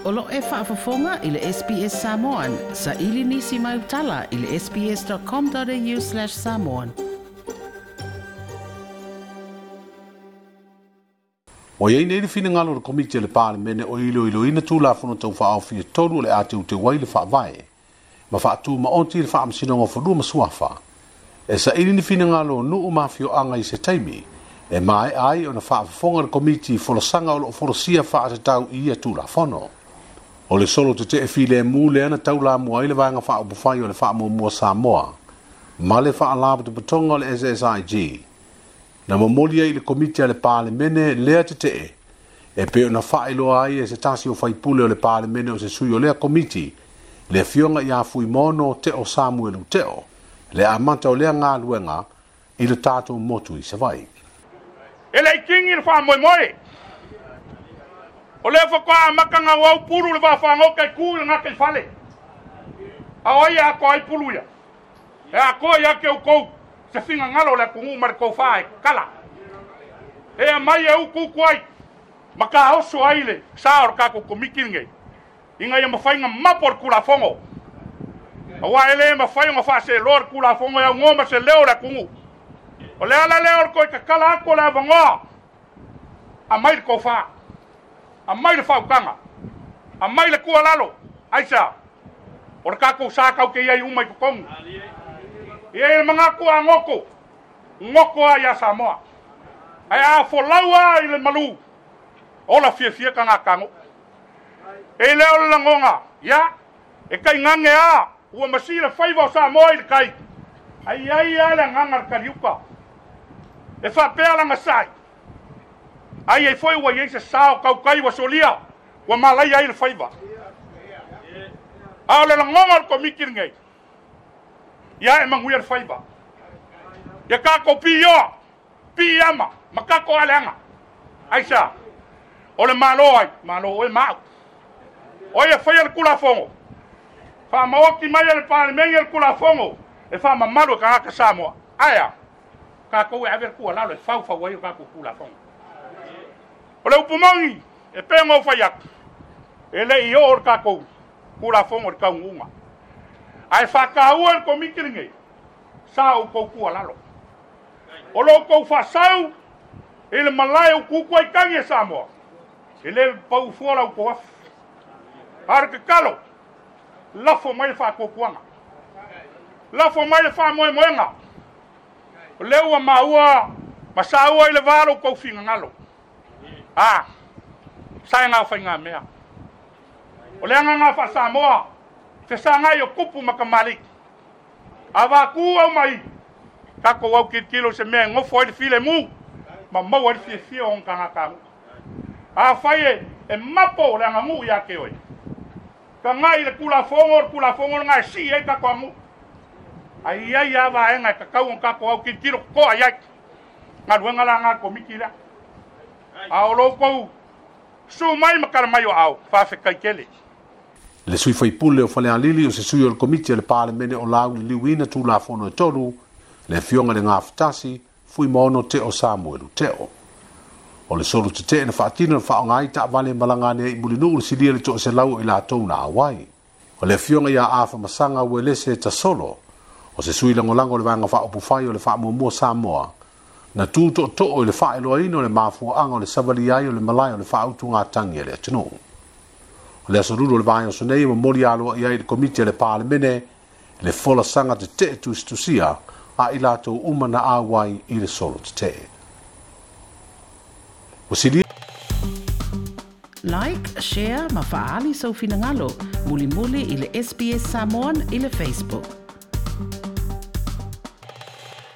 O lo o e faafofoga i le SBS Samoan. Saili nisi mau tala i le sbs.com.au/samoan. Ua i ai nei le finagalo o le Komiti a le Palemene o iloiloina Tulafono Tau Faaofi e tolu o le a teuteu ai le Faavae ma faatumaoti le Faamasinoga o Fanua ma Suafa e saili ni finagalo o nuu ma afioaga i se taimi e maea ai ona faafofoga le Komiti i folasaga o lo o folasia faatatau i ia Tulafono. O le solo tetee filemu lea na taulamua ai le Vaega Faaupufai o le Faamuamua Samoa ma le Faalapotopotoga o le SSIG na momoli ai i le Komiti a le Palemene lea tetee e pei ona faailoa ai e se tasi o faipule o le Palemene o se sui o lea Komiti, le Afioga ia Fuimaono Teo Samuelu Teo, le amata o lea galuega i le tatou motu i Savaii. E le i kingi le faamoemoe. O lea faatoa amata ona auau pulu le vaafagaota e tu i le gataifale. A o ai e atoa ai pulu ia? E atoa ia te outou se finagalo o le atunuu ma le tofa e tatala. E aumai e utuutu ai ma taoso ai le sa o le tatou Komiti lenei ina ia mafai ona mapo le Tulafono. Aua e le mafai ona faaseloa le Tulafono e aunoa ma se leo o le atunuu. O le ala lea o le toe tatala atu o le avanoa, aumai le tofa, aumai le faautaga, aumai le tuualalo. Aisea? O le tatou sa tatou te i ai uma i totonu. E i ai le manatu a goto, goto lava ia Samoa. Ae a folau lava i le malu, ola fiafia tagata E le o le lagona, ia, e taigage a, ua masi le faiva o Samoa i le tai. Ai i ai lava le agaga o le taliuka. E faapea lana sai, ai ai foi ua i ai se sa o tautai ua solia, ua malaia ai le faiva. A o le lagona o le Komiti lenei, ia e manuia le faiva. Ia tatou piioa, piiama, ma tatou aleaga. Aisea? O le Malo ai? Malo oe ma au. O ai e faia le Tulafono? Faamaoti mai e le Palemene le Tulafono e faamamalu e tagata Samoa. Ae a? Tatou e ave le tuualalo e faufau ai o tatou Tulafono. O le upu moni, e pei ona ou fai atu, e le i oo le tatou Tulafono i le taunuuga. Ae faataua e le Komiti lenei, sa outou tuualalo. O lo outou faasau i le malae utuutu ai tagi e Samoa, e le pau fua la outou afi. A o le tatalo, lafo mai le faatuatuaga, lafo mai le faamoemoega. O lea ua maua ma saua i le va lo outou finagalo. A, saega o faigamea. O le agaga faa-Samoa, fesagai o tupu ma tamalii. Avatu au mai, tatou au tilotilo i se mea e nofo ai le filemu ma maua ai le fiafia o ona tagatanuu. Afai e, e mapo le aganuu ia te oe, tagai i le Tulafono, o le Tulafono lena e sii ai tatou aganuu. Ae i ai lava vaega e tatau ona tatou au tilotilo totoa i ai. Galuega la lena a le Komiti lea. A o lo outou susu mai ma tala mai o aao, faafetai tele. Le sui faipule o Falealili o se sui o le Komiti a le Palemene o lauliliuina Tulafono e tolu, le Afioga i le Gafatasi, Fuimaono Teo Samuelu Teo. O le solo tetee na faatino na faaaoga ai taavale e malaga ane ai i Mulinuu le silia le 100 o i latou na auai. O le Afioga ia Afa Masaga Uelese Tasolo, o se sui lagolago o le Vaega Faaupufai o le Faamuamua Samoa, na tu tootoo i le faailoaina o le mafuaaga o le savalia ai o le malae o le faautugatagi a le atunuu. O le aso Lulu o le vaiaso nei e momoli aloaia ai i le Komiti a le Palemene le folasaga tetee tusitusia a i latou uma na auai i le solo tetee. Ua silia. Like, share ma faaali sou finagalo mulimuli i le SBS Samoan i le Facebook.